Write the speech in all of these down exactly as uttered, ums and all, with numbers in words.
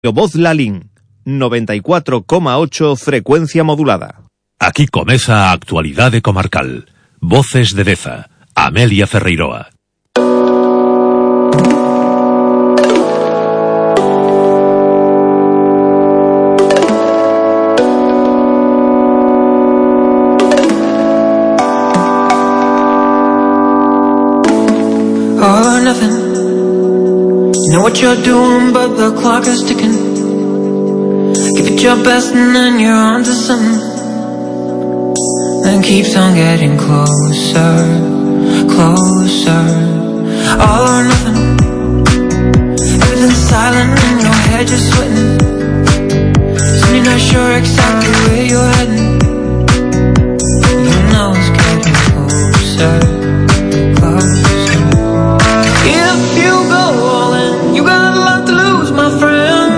Voz Lalín, noventa y cuatro coma ocho frecuencia modulada. Aquí comeza a actualidade comarcal. Voces de Deza, Amelia Ferreiroa. All or nothing. You know what you're doing, but the clock is ticking. Give it your best and then you're on to something. Then keeps on getting closer, closer. All or nothing. Everything's silent in your head, you're sweating. Soon you're not sure exactly where you're heading. You know it's getting closer, closer. If you go all in, you got a lot to lose, my friend.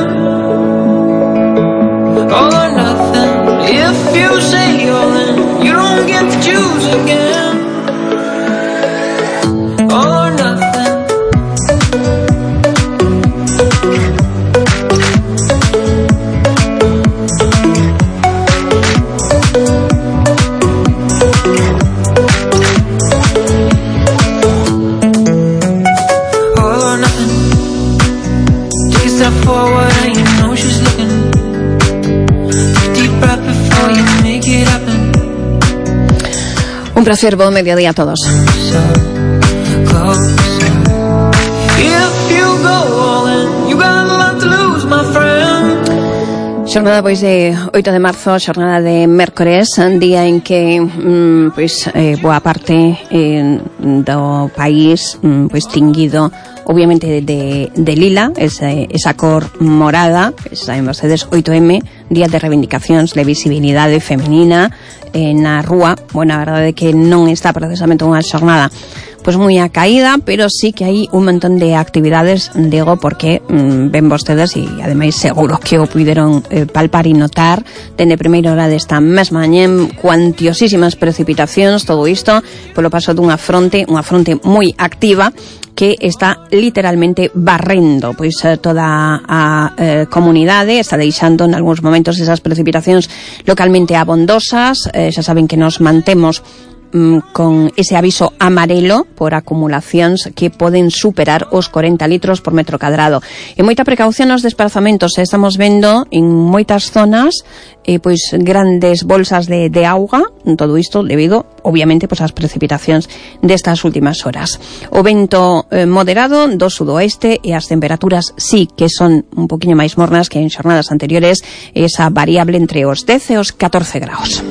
All or nothing. If you say all in, you don't get to choose again. All or nothing. All or nothing. Take a step forward and you know she's looking. Take a deep breath before you make it happen. Un placer, buen mediodía a todos. Closer, closer. If you go all in, you got a lot to lose, my friend. Xornada pois de oito de marzo, xornada de mércores, día en que mm, pois eh, boa parte eh, do país mm, pois tinguido obviamente de, de, de lila, esa, esa cor morada, saben vostedes, oito eme, día de reivindicacións de visibilidade femenina eh, na rúa. Bueno, a verdade é que non está precisamente unha xornada pois moi a caída, pero sí que hai un montón de actividades, digo, porque mmm, ven vostedes e ademais seguro que o puideron eh, palpar e notar dende primeira hora desta mesma mañá, cuantiosísimas precipitacións, todo isto polo paso dunha fronte, unha fronte moi activa que está literalmente barrendo pois toda a eh, comunidade, está deixando en algúns momentos esas precipitacións localmente abondosas. Eh, xa saben que nos mantemos con ese aviso amarelo por acumulacións que poden superar os corenta litros por metro cadrado. E moita precaución nos desplazamentos. Estamos vendo en moitas zonas eh, pois grandes bolsas de, de auga, todo isto debido, obviamente, pois ás precipitacións destas últimas horas. O vento eh, moderado do sudoeste e as temperaturas sí que son un poquinho máis mornas que en xornadas anteriores, esa variable entre os dez e os catorce graus.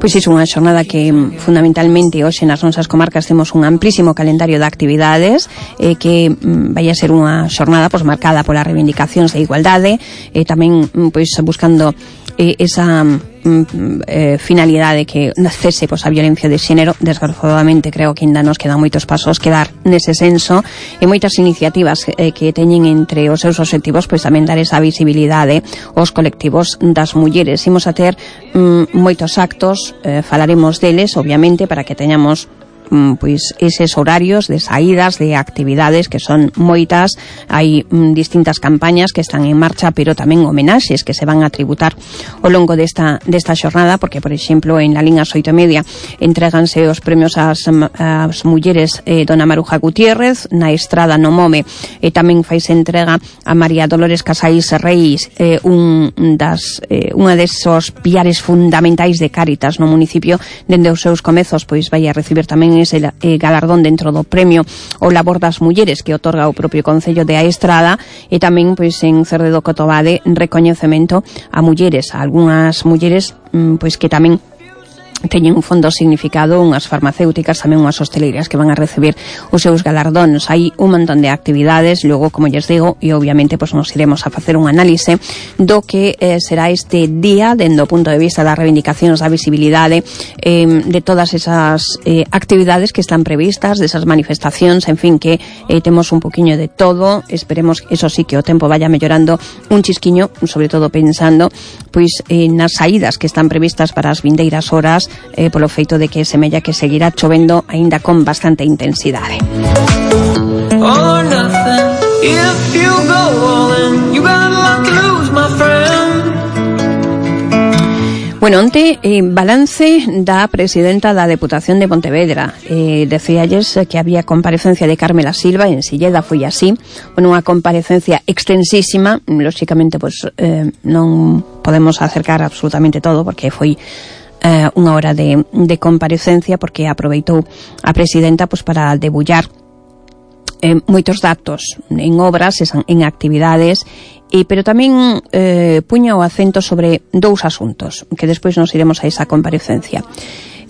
Pois iso, unha xornada que fundamentalmente hoxe nas nosas comarcas temos un amplísimo calendario de actividades eh, que mm, vai a ser unha xornada pois marcada polas reivindicacións de igualdade e eh, tamén pois buscando eh, esa mm, eh, finalidade que cese pois a violencia de xénero. Desgraciadamente creo que ainda nos quedan moitos pasos que dar nese senso e moitas iniciativas eh, que teñen entre os seus obxectivos pois tamén dar esa visibilidade aos colectivos das mulleres. Imos a ter mm, moitos actos, eh, falaremos deles obviamente para que teñamos pois eses horarios de saídas, de actividades que son moitas. Hai mm, distintas campañas que están en marcha, pero tamén homenaxes que se van a tributar ao longo desta, desta xornada, porque, por exemplo, en la liña oito e media entréganse os premios ás, ás mulleres eh, Dona Maruja Gutiérrez, na Estrada no Mome e tamén faise entrega a María Dolores Casais Reis, eh, un das eh, unha desos piares fundamentais de Cáritas no municipio. Dende os seus comezos pois vai a recibir tamén ese eh, galardón dentro do premio o labor das mulleres que otorga o propio Concello de A Estrada, e tamén pois en Cerdedo Cotobade recoñecemento a mulleres, a algunhas mulleres mm, pois que tamén teñen un fondo significado, unhas farmacéuticas, tamén unhas hosteleiras que van a recibir os seus galardóns. Hai un montón de actividades, logo, como lles digo, e obviamente pois nos iremos a facer un análise do que eh, será este día dende o punto de vista das reivindicacións da visibilidade, eh, de todas esas eh, actividades que están previstas, desas manifestacións, en fin, que eh, temos un poquinho de todo. Esperemos, eso sí, que o tempo vaya mellorando un chisquiño, sobre todo pensando pois eh, nas saídas que están previstas para as vindeiras horas, eh, polo feito de que semella que seguirá chovendo aínda con bastante intensidade. Bueno, onte, eh, balance da presidenta da Deputación de Pontevedra. Eh, decíalles que había comparecencia de Carmela Silva, en Silleda foi así. Bueno, unha comparecencia extensísima, lóxicamente, pues, eh, non podemos acercar absolutamente todo, porque foi eh, unha hora de, de comparecencia, porque aproveitou a presidenta pues, para debullar eh, moitos datos en obras, en actividades, e, pero tamén eh, puña o acento sobre dous asuntos, que despois nos iremos a esa comparecencia.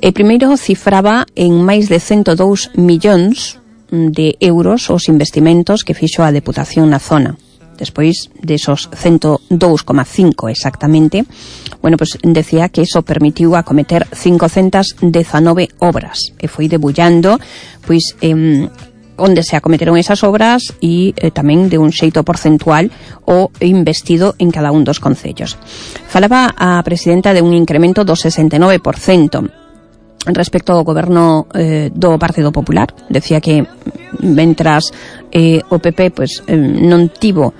E primeiro cifraba en máis de ciento dous millóns de euros os investimentos que fixo a Deputación na zona. Despois desos ciento dous coma cinco exactamente, bueno, pues decía que eso permitiu acometer cincocentas dezanove obras, e foi debullando, pois, eh, onde se acometeron esas obras e eh, tamén de un xeito porcentual o investido en cada un dos concellos. Falaba a presidenta de un incremento do sesenta e nove por cento respecto ao goberno eh, do Partido Popular. Decía que mentras eh, o P P pues, eh, non tivo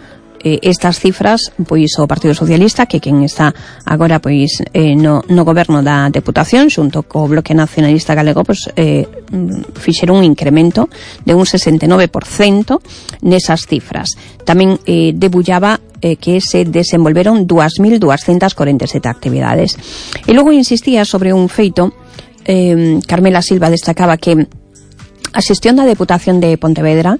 eh, estas cifras, pois o Partido Socialista, que quen está agora pois eh, no, no goberno da Deputación, xunto co Bloque Nacionalista Galego, pois eh, fixeron un incremento de un sesenta e nove por cento nesas cifras. Tamén eh, debullaba eh, que se desenvolveron dúas mil duascentas corenta e sete actividades. E logo insistía sobre un feito. eh, Carmela Silva destacaba que a xestión da Deputación de Pontevedra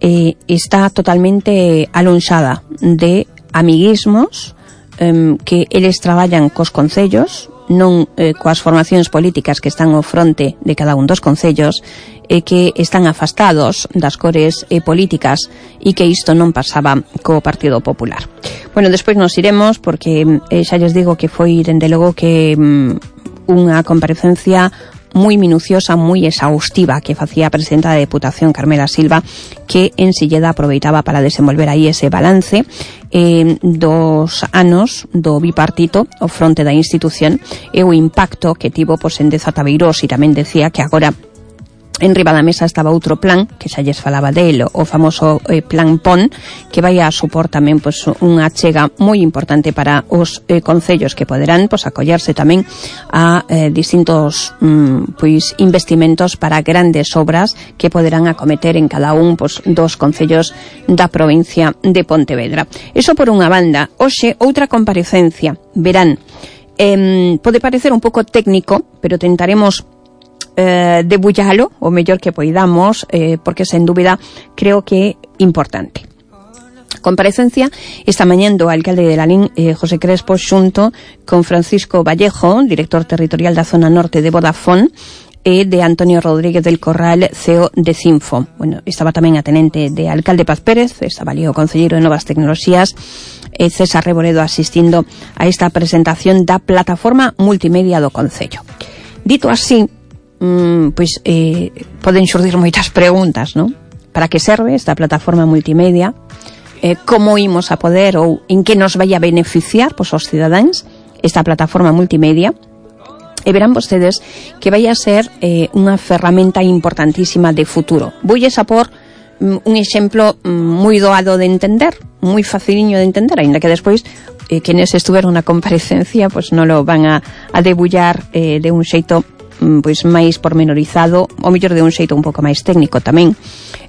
eh, está totalmente alonxada de amiguismos, eh, que eles traballan cos concellos, non eh, coas formacións políticas que están ao fronte de cada un dos concellos, e que están afastados das cores eh, políticas, e que isto non pasaba co Partido Popular. Bueno, despois nos iremos, porque eh, xa lles digo que foi, dende logo, que mm, unha comparecencia moi minuciosa, moi exhaustiva, que facía a presidenta da Deputación, Carmela Silva, que en Silleda aproveitaba para desenvolver aí ese balance eh, dos anos do bipartito ao fronte da institución e o impacto que tivo pois, en Deza Tabeirós, e tamén decía que agora en riba da mesa estaba outro plan, que xa lles falaba del, o famoso eh, plan P O N, que vai a supor tamén pois, unha achega moi importante para os eh, concellos, que poderán pois, acollerse tamén a eh, distintos mm, pois, investimentos para grandes obras que poderán acometer en cada un pois, dos concellos da provincia de Pontevedra. Eso por unha banda. Hoxe, outra comparecencia. Verán, eh, pode parecer un pouco técnico, pero tentaremos Eh, debullalo o mellor que poidamos, eh, porque sen dúbida creo que é importante. Comparecencia esta mañá do alcalde de Lalín, eh, José Crespo, xunto con Francisco Vallejo, director territorial da zona norte de Vodafone, e de Antonio Rodríguez del Corral, C E O de Cinfo. Bueno, estaba tamén a tenente de alcalde Paz Pérez, estaba ali o concelleiro de Novas Tecnoloxías, e César Reboredo asistindo a esta presentación da plataforma multimedia do concello. Dito así, Mm, pois eh, poden xurdir moitas preguntas, non? Para que serve esta plataforma multimedia? Eh, como imos a poder ou en que nos vai a beneficiar pois, os cidadáns esta plataforma multimedia? E verán vostedes que vai a ser eh, unha ferramenta importantísima de futuro. Voulles a por mm, un exemplo mm, moi doado de entender, moi faciliño de entender, aínda que despois eh, quenes estuveron na comparecencia pois non lo van a, a debullar eh, de un xeito pois máis pormenorizado, ou mellor de un xeito un pouco máis técnico tamén,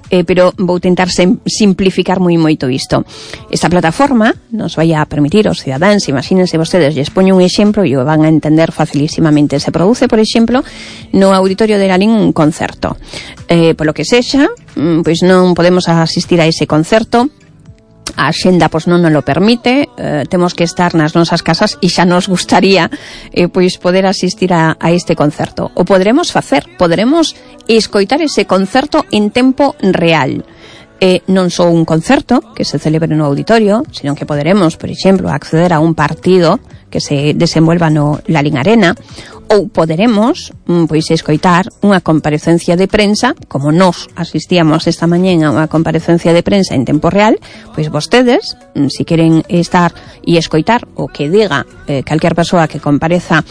eh, pero vou tentar sem, simplificar moi moito isto. Esta plataforma nos vai a permitir aos cidadáns, imagínense vostedes, lles poño un exemplo e o van a entender facilísimamente. Se produce, por exemplo, no auditorio de Lalín un concerto. Eh, polo que sexa, pois non podemos asistir a ese concerto, a xenda pois non nos lo permite, eh, temos que estar nas nosas casas e xa nos gustaría eh, pois poder asistir a, a este concerto. O poderemos facer, poderemos escoitar ese concerto en tempo real. Eh, non só un concerto que se celebre no auditorio, sino que poderemos, por exemplo, acceder a un partido que se desenvolva no Lalín Arena, ou poderemos pois escoitar unha comparecencia de prensa, como nós asistíamos esta mañén a unha comparecencia de prensa en tempo real, pois vostedes, se queren estar e escoitar o que diga eh, calquer persoa que compareza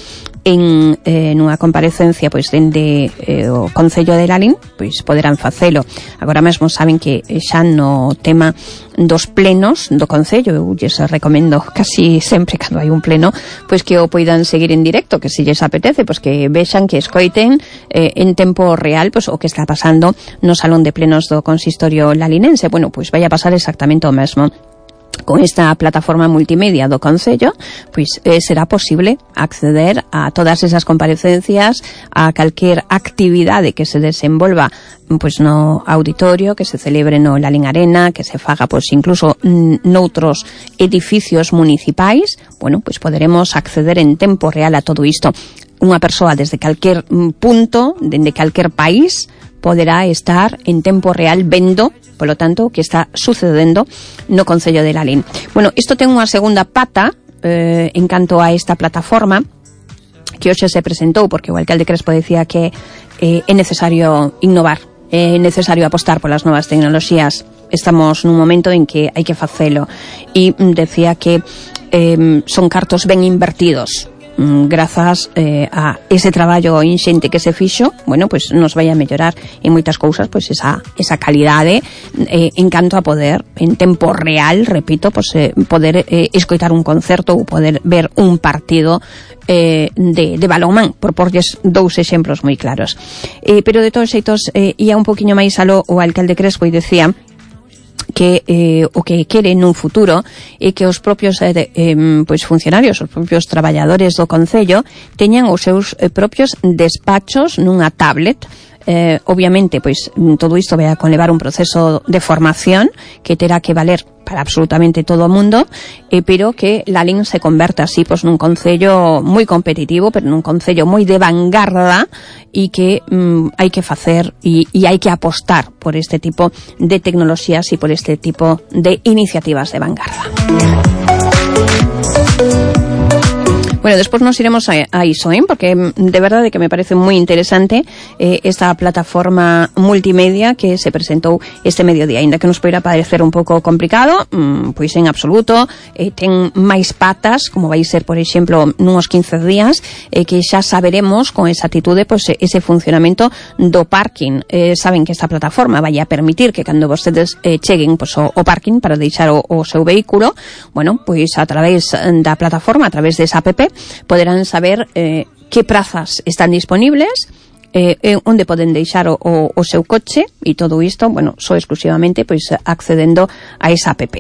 en eh, nunha comparecencia pois dende eh, o Concello de Lalín, pois poderán facelo. Agora mesmo saben que xa no tema dos plenos do Concello, eu lles recomendo casi sempre cando hai un pleno, pois que o poidan seguir en directo, que se lles apetece, pois que vexan, que escoiten eh, en tempo real pois o que está pasando no salón de plenos do consistorio lalinense. Bueno, pois vai a pasar exactamente o mesmo. Con esta plataforma multimedia do Concello, pois eh, será posible acceder a todas esas comparecencias, a calquer actividade que se desenvolva pois no auditorio, que se celebre no Lalín Arena, que se faga pois incluso noutros edificios municipais. Bueno, pois poderemos acceder en tempo real a todo isto. Unha persoa desde calquer punto, dende calquer país, poderá estar en tempo real vendo, polo tanto, o que está sucedendo no Concello de Lalín. Bueno, isto ten unha segunda pata eh, en canto a esta plataforma que hoxe se presentou, porque o alcalde Crespo decía que eh, é necesario innovar, é necesario apostar polas novas tecnoloxías. Estamos nun momento en que hai que facelo, e decía que eh, son cartos ben invertidos. Grazas eh, a ese traballo inxente que se fixo, bueno, pois pues nos vai a mellorar en moitas cousas, pois pues esa esa calidade eh, en canto a poder en tempo real, repito, pois pues, eh, poder eh, escoitar un concerto ou poder ver un partido eh, de, de balonmán, por porlles dous exemplos moi claros. Eh, pero de todos xeitos eh, ia un poquinho máis aló o alcalde Crespo e decía que eh, o que quere nun futuro é que os propios eh, de, eh, pois funcionarios, os propios traballadores do Concello teñan os seus eh, propios despachos nunha tablet. Eh, obviamente, pois todo isto vai a conlevar un proceso de formación que terá que valer para absolutamente todo o mundo, eh, pero que Lalín se converta así pois nun concello moi competitivo, pero nun concello moi de vanguarda, e que mm, hai que facer e, e hai que apostar por este tipo de tecnoloxías e por este tipo de iniciativas de vanguarda. Bueno, despois nos iremos a, a iso, ¿eh? Porque de verdade que me parece moi interesante eh, esta plataforma multimedia que se presentou este mediodía, ainda que nos poida parecer un pouco complicado, mmm, pois en absoluto, eh, ten máis patas, como vai ser, por exemplo, nuns quince días, eh, que xa saberemos con exactitude pois, ese funcionamento do parking. Eh, saben que esta plataforma vai a permitir que cando vostedes eh, cheguen pois, o, o parking para deixar o, o seu vehículo, bueno, pois a través da plataforma, a través desa app, poderán saber eh, que prazas están disponibles, eh, eh, onde poden deixar o, o, o seu coche, e todo isto, bueno, só exclusivamente pois accedendo a esa app.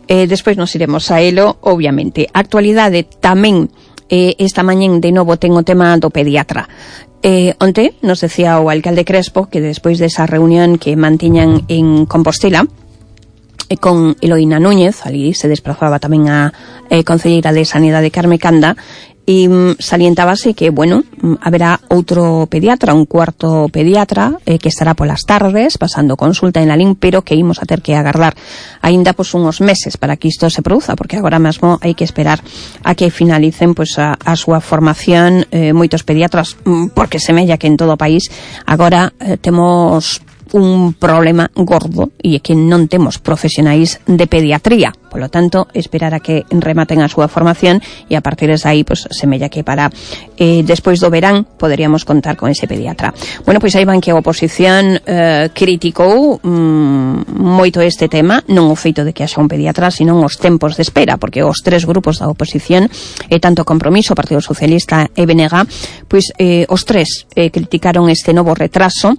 Eh, despois nos iremos a elo, obviamente. Actualidade tamén, eh, esta mañén de novo ten o tema do pediatra. Eh, onte nos decía o alcalde Crespo que despois desa reunión que mantiñan en Compostela con Eloína Núñez, ali se desplazaba tamén a eh, concelleira de Sanidade Carme Canda, e mm, salientábase que, bueno, mm, haberá outro pediatra, un cuarto pediatra eh, que estará polas tardes pasando consulta en Lalín, pero que imos a ter que agardar aínda pois uns meses para que isto se produza, porque agora mesmo hai que esperar a que finalicen pois a, a súa formación eh, moitos pediatras, mm, porque semella que en todo o país agora eh, temos un problema gordo, e é que non temos profesionais de pediatría. Polo tanto, esperar a que rematen a súa formación, e a partir de aí, pues, semella que para eh, despois do verán poderíamos contar con ese pediatra. Bueno, pois aí van que a oposición eh, criticou mm, moito este tema, non o feito de que haxa un pediatra, sino os tempos de espera, porque os tres grupos da oposición, e tanto Compromiso, Partido Socialista e B N G, pois eh, os tres eh, criticaron este novo retraso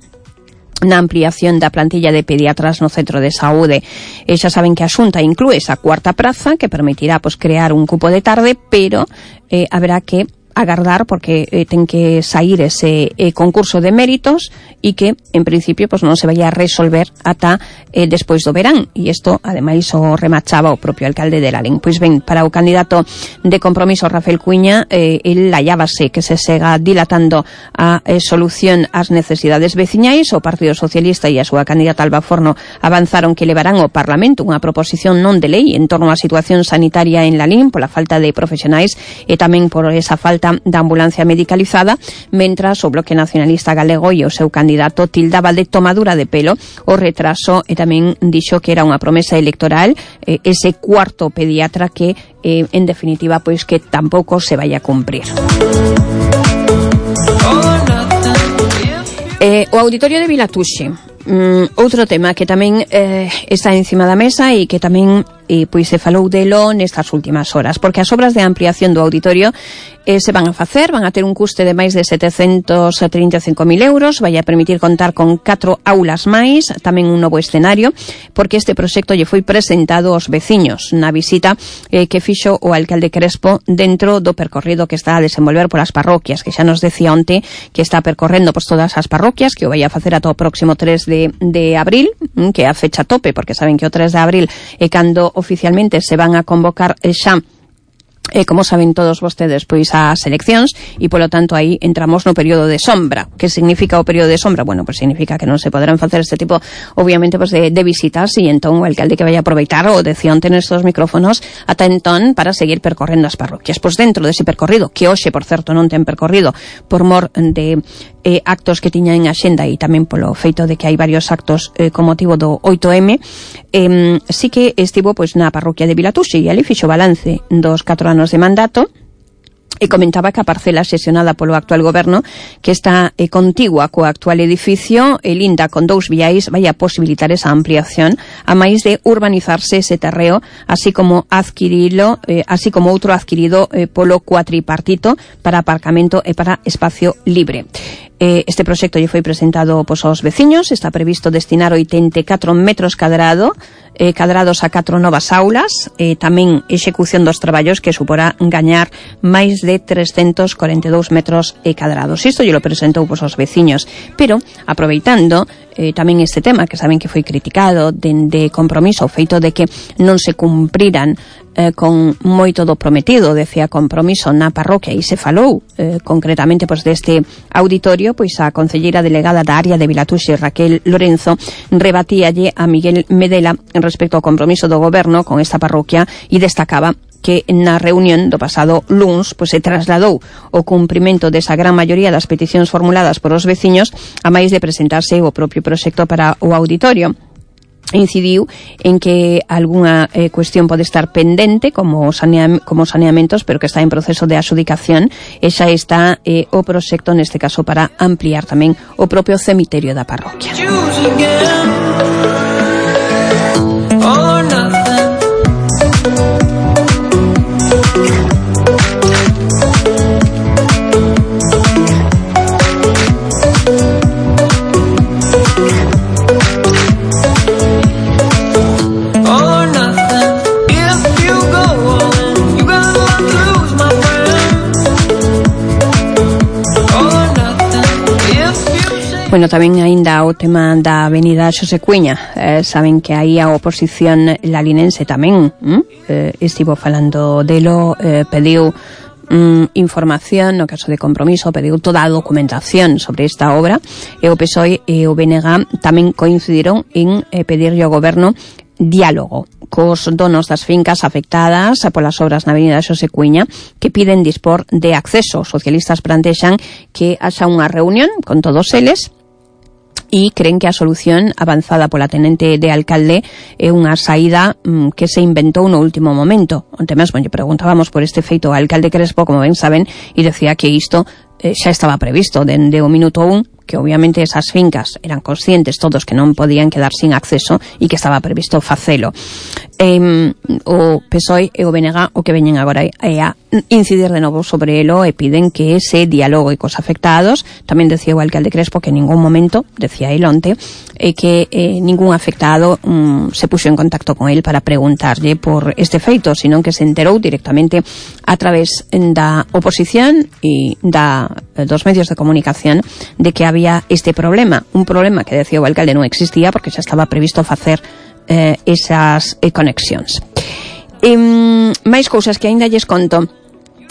na ampliación da plantilla de pediatras no centro de saúde. E xa saben que a Xunta inclúe esa cuarta praza que permitirá pues, crear un cupo de tarde, pero eh, haberá que agardar porque eh, ten que sair ese eh, concurso de méritos, e que en principio pues, non se vai a resolver ata eh, despois do verán, e isto ademais o remachaba o propio alcalde de Lalín. Pois ben, para o candidato de Compromiso, Rafael Cuiña, eh, el hallábase que se sega dilatando a eh, solución ás necesidades veciñais. O Partido Socialista e a súa candidata Alba Forno avanzaron que levarán ao Parlamento unha proposición non de lei en torno á situación sanitaria en Lalín pola falta de profesionais e tamén por esa falta da ambulancia medicalizada, mentras o Bloque Nacionalista Galego e o seu candidato tildaba de tomadura de pelo o retraso, e tamén dixo que era unha promesa electoral eh, ese cuarto pediatra que eh, en definitiva pois que tampouco se vai a cumprir. Eh, o Auditorio de Vilatuxe, mm, outro tema que tamén eh, está encima da mesa e que tamén eh, pois se falou delo nestas últimas horas, porque as obras de ampliación do auditorio eh, se van a facer, van a ter un custe de máis de setecentos trinta e cinco mil euros, vai a permitir contar con catro aulas máis, tamén un novo escenario, porque este proxecto lle foi presentado aos veciños na visita eh, que fixo o alcalde Crespo dentro do percorrido que está a desenvolver polas parroquias, que xa nos decía onte que está percorrendo pois todas as parroquias, que o vai a facer ata o próximo tres de, de abril, que é a fecha tope, porque saben que o tres de abril é cando oficialmente se van a convocar xa Eh, como saben todos vostedes, pois as eleccións e polo tanto aí entramos no período de sombra. Que significa o período de sombra? Bueno, pois significa que non se poderán facer este tipo, obviamente, pois de, de visitas e entón o alcalde que vai a aproveitar o decía onte nestes micrófonos ata entón para seguir percorrendo as parroquias. Pois dentro dese percorrido, que hoxe, por certo, non ten percorrido por mor de eh, actos que tiña en axenda e tamén polo feito de que hai varios actos eh, con motivo do oito eme, eh, sí que estivo pois na parroquia de Vilatuxe e ali fixo balance dos catro anos de mandato e comentaba que a parcela xestionada polo actual goberno, que está eh, contigua co actual edificio e linda con dous viais, vai a posibilitar esa ampliación a máis de urbanizarse ese terreo, así como adquirilo, eh, así como outro adquirido eh, polo cuatripartito para aparcamento e para espacio libre. Eh, este proxecto lle foi presentado pois, aos veciños, está previsto destinar oitenta e catro metros cadrado, eh, cadrados a catro novas aulas, eh, tamén execución dos traballos que suporá gañar máis de trescentos corenta e dous metros eh, cadrados. Isto lle lo presentou pois, aos veciños, pero aproveitando eh, tamén este tema que saben que foi criticado de, de compromiso, o feito de que non se cumpriran eh, con moito do prometido, decía compromiso na parroquia, e se falou eh, concretamente pois, deste auditorio, pois a concelleira delegada da área de Vilatuxe, Raquel Lorenzo, rebatíalle a Miguel Medela respecto ao compromiso do goberno con esta parroquia e destacaba que na reunión do pasado luns pois, se trasladou o cumprimento desa gran maioría das peticións formuladas por os veciños a máis de presentarse o propio proxecto para o auditorio. Incidiu en que algunha eh, cuestión pode estar pendente como, saneam como saneamentos, pero que está en proceso de adxudicación e xa está eh, o proxecto neste caso para ampliar tamén o propio cemiterio da parroquia. Bueno, tamén aínda o tema da avenida Xosé Cuña, eh, saben que aí a oposición lalinense tamén eh, estivo falando delo, eh, pediu mm, información no caso de compromiso, pediu toda a documentación sobre esta obra e o P S O E e o B N G tamén coincidiron en eh, pedirlle ao goberno diálogo cos donos das fincas afectadas polas obras na avenida Xosé Cuña que piden dispor de acceso. Os socialistas plantexan que haxa unha reunión con todos eles e creen que a solución avanzada pola tenente de alcalde é unha saída mm, que se inventou no último momento. Onte mesmo lle preguntábamos por este feito ao alcalde Crespo, como ben saben, e decía que isto eh, xa estaba previsto dende o minuto un, que obviamente esas fincas eran conscientes todos que non podían quedar sin acceso e que estaba previsto facelo. Eh, o P S O E e o B N G o que veñen agora é a incidir de novo sobre elo e piden que ese diálogo cos afectados. Tamén decía o alcalde Crespo que en ningún momento, decía el onte, eh, que eh, ningún afectado mm, se puxo en contacto con el para preguntarlle por este feito, sino que se enterou directamente a través da oposición e da, dos medios de comunicación de que había este problema, un problema que decía o alcalde non existía porque xa estaba previsto facer eh, esas eh, conexións. E, máis cousas que aínda lles conto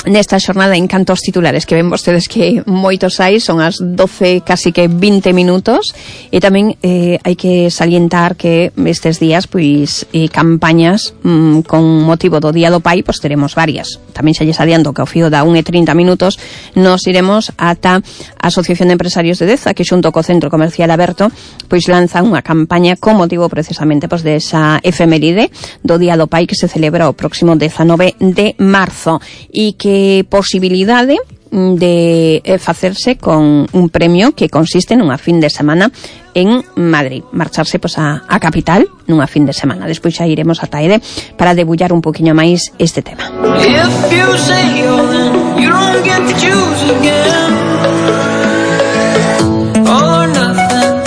nesta xornada en canto aos titulares, que ven vostedes que moitos hai, son as doce, casi que vinte minutos, e tamén eh, hai que salientar que estes días, pois, eh, campañas mm, con motivo do Día do Pai, pois teremos varias. Tamén xa lles adianto que ao fío da unha e trinta minutos nos iremos ata a Asociación de Empresarios de Deza, que xunto co Centro Comercial Aberto, pois lanza unha campaña con motivo precisamente pois de esa efeméride do Día do Pai que se celebra o próximo dezanove de marzo, e que posibilidade de eh, facerse con un premio que consiste nunha fin de semana en Madrid, marcharse pois, a, a capital nunha fin de semana. Despois xa iremos ata Ede para debullar un poquinho máis este tema. If you say you're in, you don't get to choose again. All or nothing.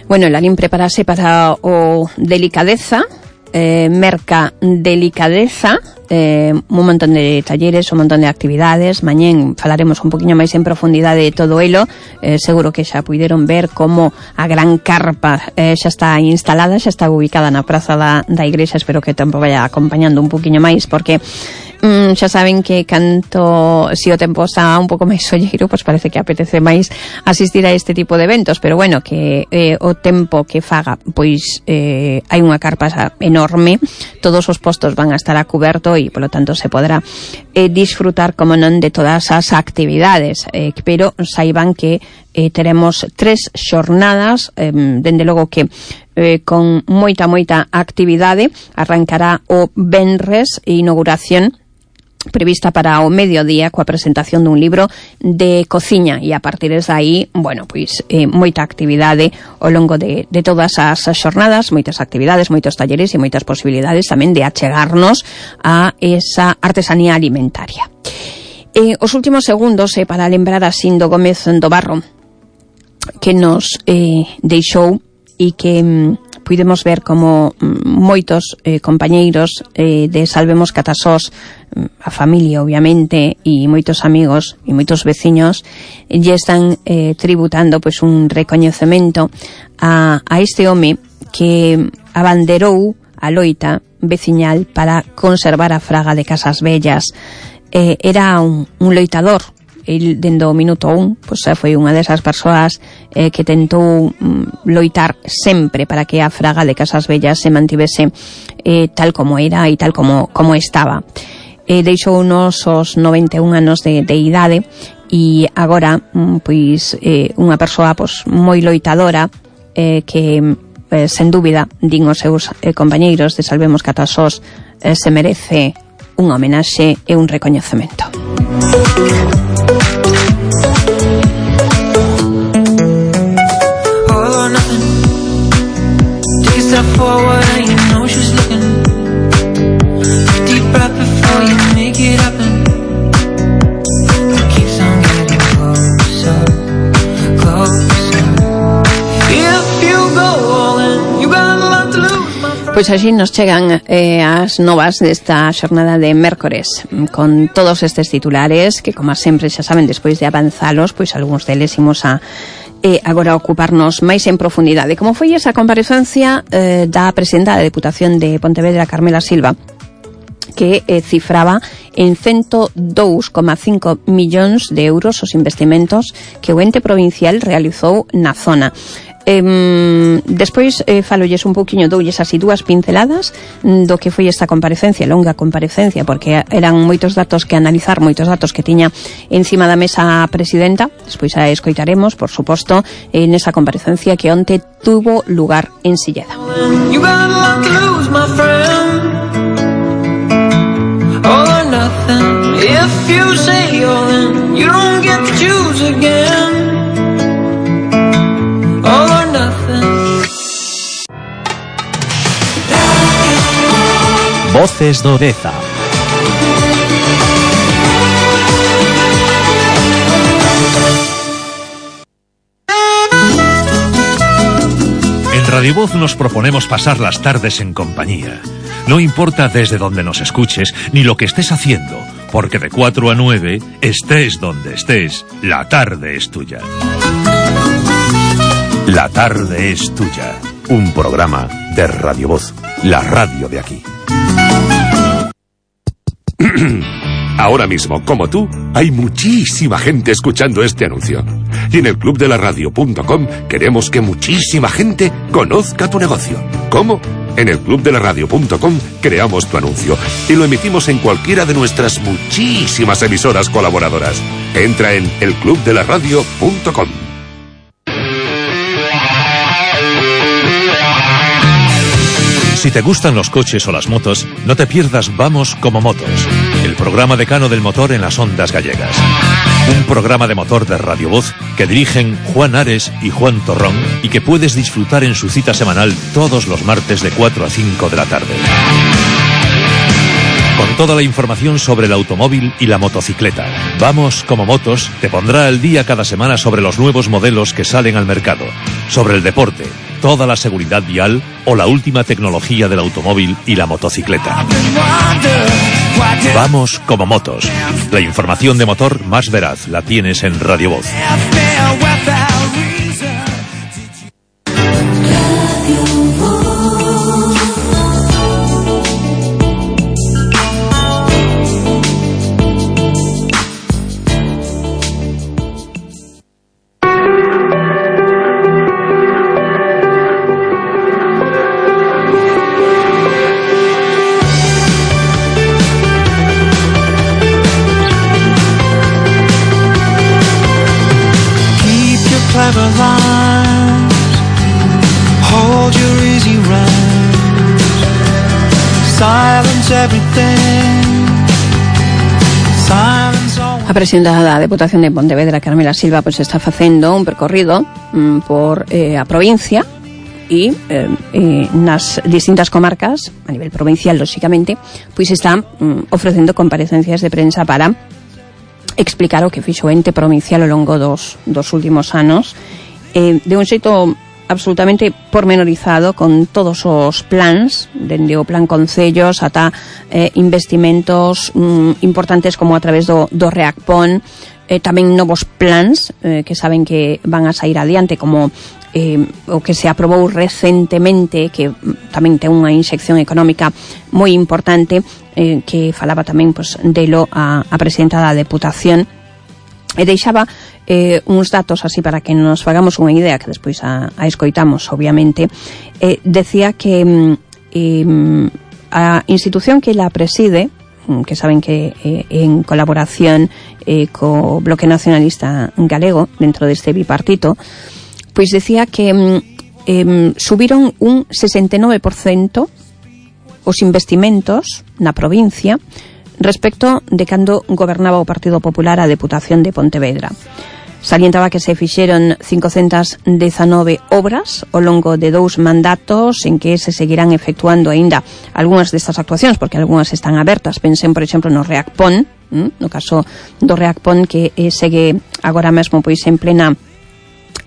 Bueno, Lalín preparase para o Delicadeza, eh, Merca Delicadeza, eh, un montón de talleres, un montón de actividades. Mañén falaremos un poquinho máis en profundidade de todo elo. Eh, seguro que xa puideron ver como a gran carpa eh, xa está instalada, xa está ubicada na praza da, da igrexa. Espero que o tempo vaya acompañando un poquinho máis, porque mm, xa saben que canto si o tempo está un pouco máis solleiro, pois parece que apetece máis asistir a este tipo de eventos, pero bueno, que eh, o tempo que faga, pois eh, hai unha carpa enorme, todos os postos van a estar a cuberto e, polo tanto, se podrá eh, disfrutar, como non, de todas as actividades, eh, pero saiban que eh, teremos tres xornadas, eh, dende logo que eh, con moita, moita actividade. Arrancará o venres, inauguración prevista para o mediodía coa presentación dun libro de cociña, e a partir de aí, bueno, pois eh, moita actividade ao longo de, de todas as xornadas, moitas actividades, moitos talleres e moitas posibilidades tamén de achegarnos a esa artesanía alimentaria. Eh, os últimos segundos eh, para lembrar a Sindo Gómez do Barro, que nos eh, deixou e que mm, pudemos ver como mm, moitos eh, compañeiros eh, de Salvemos Catasós, a familia obviamente, e moitos amigos e moitos veciños lle están eh, tributando pois un recoñecemento a, a este home que abanderou a loita veciñal para conservar a fraga de Casas Vellas. Eh, era un, un loitador. El, dende o minuto un, pois foi unha desas persoas eh, que tentou mm, loitar sempre para que a fraga de Casas Vellas se mantivese eh, tal como era e tal como, como estaba. Eh, deixou unos os noventa e un anos de, de idade e agora mm, pois eh, unha persoa pois, moi loitadora eh, que eh, sen dúbida din os seus eh, compañeiros de Salvemos Catasós eh, se merece un homenaxe e un recoñecemento. Step forward and you know she's looking. Deep breath before you make it happen. It keeps on getting closer, closer. If you go all in, you got a lot to lose, my friend. Pois así nos chegan eh, as novas desta xornada de mércores, con todos estes titulares que, como sempre, xa saben, despois de avanzalos, pois algúns deles imos a e agora ocuparnos máis en profundidade. Como foi esa comparecencia eh, da presidenta da Deputación de Pontevedra, Carmela Silva, que eh, cifraba en ciento dous coma cinco millóns de euros os investimentos que o ente provincial realizou na zona. Eh, despois eh, falolles un pouquiño, doulles así dúas pinceladas do que foi esta comparecencia, longa comparecencia, porque eran moitos datos que analizar, moitos datos que tiña encima da mesa a presidenta. Despois a escoitaremos, por suposto, en esa comparecencia que onte tuvo lugar en Silleda. You got a lot to lose, my friend. All or nothing. If you say all in, you don't get to choose again. All or nothing. Voces do Deza. En Radio Voz nos proponemos pasar las tardes en compañía. No importa desde donde nos escuches ni lo que estés haciendo, porque de cuatro a nueve, estés donde estés, la tarde es tuya. La tarde es tuya. Un programa de Radio Voz, la radio de aquí. Ahora mismo, como tú, hay muchísima gente escuchando este anuncio. Y en el club de la radio punto com queremos que muchísima gente conozca tu negocio. ¿Cómo? En el club de la radio punto com creamos tu anuncio y lo emitimos en cualquiera de nuestras muchísimas emisoras colaboradoras. Entra en el club de la radio punto com. Si Si te gustan los coches o las motos, no te pierdas Vamos como Motos, el programa decano del motor en las ondas gallegas. Un programa de motor de Radio Voz que dirigen Juan Ares y Juan Torrón y que puedes disfrutar en su cita semanal todos los martes de cuatro a cinco de la tarde. Con toda la información sobre el automóvil y la motocicleta. Vamos como Motos te pondrá al día cada semana sobre los nuevos modelos que salen al mercado, sobre el deporte, toda la seguridad vial o la última tecnología del automóvil y la motocicleta. Vamos como Motos. La información de motor más veraz la tienes en Radio Voz. A presidenta da Deputación de Pontevedra, Carmela Silva, pois está facendo un percorrido mm, por eh, a provincia e eh, eh, nas distintas comarcas, a nivel provincial, lóxicamente, pois está mm, ofrecendo comparecencias de prensa para explicar o que fixo o ente provincial ao longo dos, dos últimos anos, eh, de un xeito absolutamente pormenorizado, con todos os plans, dende o plan concellos ata eh, investimentos mm, importantes como a través do, do REACPON, eh, tamén novos plans eh, que saben que van a sair adiante, como eh, o que se aprobou recentemente, que tamén ten unha inxección económica moi importante, eh, que falaba tamén pues, delo a, a presidenta da Deputación, e deixaba eh, uns datos así para que nos fagamos unha idea, que despois a, a escoitamos, obviamente. Eh, decía que eh, a institución que la preside, que saben que eh, en colaboración eh, co Bloque Nacionalista Galego, dentro deste bipartito, pois decía que eh, subiron un sesenta e nove por cento os investimentos na provincia respecto de cando gobernaba o Partido Popular a Deputación de Pontevedra. Salientaba que se fixeron cincocentas dezanove obras ao longo de dous mandatos, en que se seguirán efectuando aínda algunhas destas actuacións, porque algunhas están abertas. Pensen, por exemplo, no REACPON, no caso do REACPON, que eh, segue agora mesmo pois en plena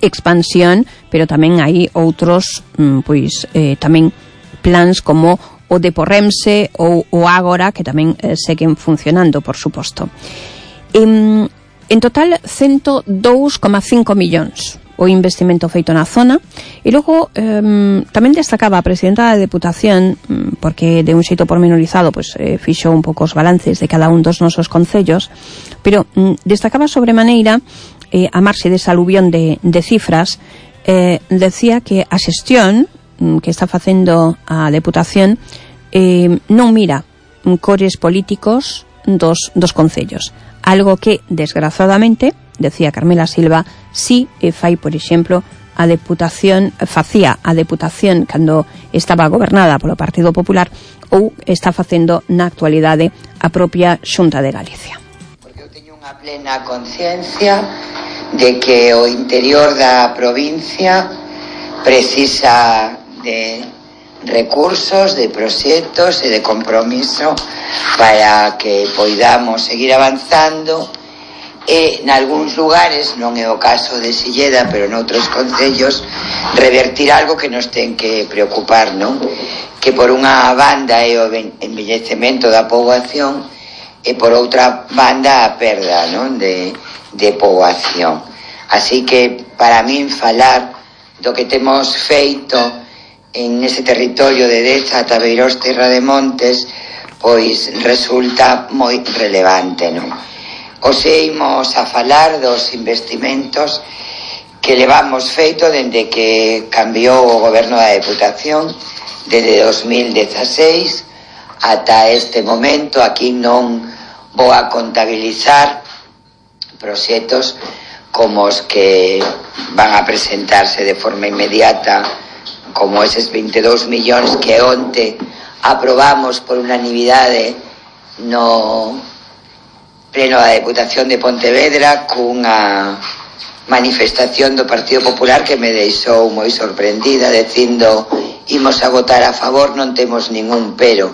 expansión, pero tamén hai outros pois eh, tamén plans como o de Porremse ou o Ágora, que tamén eh, seguen funcionando, por suposto. En, en total, ciento dous coma cinco millóns o investimento feito na zona, e logo eh, tamén destacaba a presidenta da Deputación, porque de un xeito pormenorizado pues, eh, fixo un pouco os balances de cada un dos nosos concellos, pero mm, destacaba sobremaneira, eh, a marxe desa aluvión de, de cifras, eh, decía que a xestión que está facendo a Deputación eh, non mira cores políticos dos, dos concellos, algo que desgraciadamente, decía Carmela Silva, si eh, fai, por exemplo, a Deputación facía a Deputación cando estaba gobernada polo Partido Popular, ou está facendo na actualidade a propia Xunta de Galicia. Porque eu teño unha plena conciencia de que o interior da provincia precisa de recursos, de proxectos e de compromiso para que poidamos seguir avanzando e nalgúns lugares, non é o caso de Silleda, pero noutros concellos, revertir algo que nos ten que preocupar, non? Que por unha banda é o envellecemento da poboación e por outra banda a perda, non? De, de poboación. Así que para min falar do que temos feito en ese territorio de Deza ata Beirós Terra de Montes, pois resulta moi relevante, non? Hoxe imos a falar dos investimentos que levamos feito dende que cambiou o goberno da Deputación, desde dos mil dezaseis ata este momento. Aquí non vou a contabilizar proxectos como os que van a presentarse de forma inmediata como eses veintidós millóns que onte aprobamos por unanimidade no pleno da Deputación de Pontevedra cunha manifestación do Partido Popular que me deixou moi sorprendida dicindo imos a votar a favor, non temos ningún pero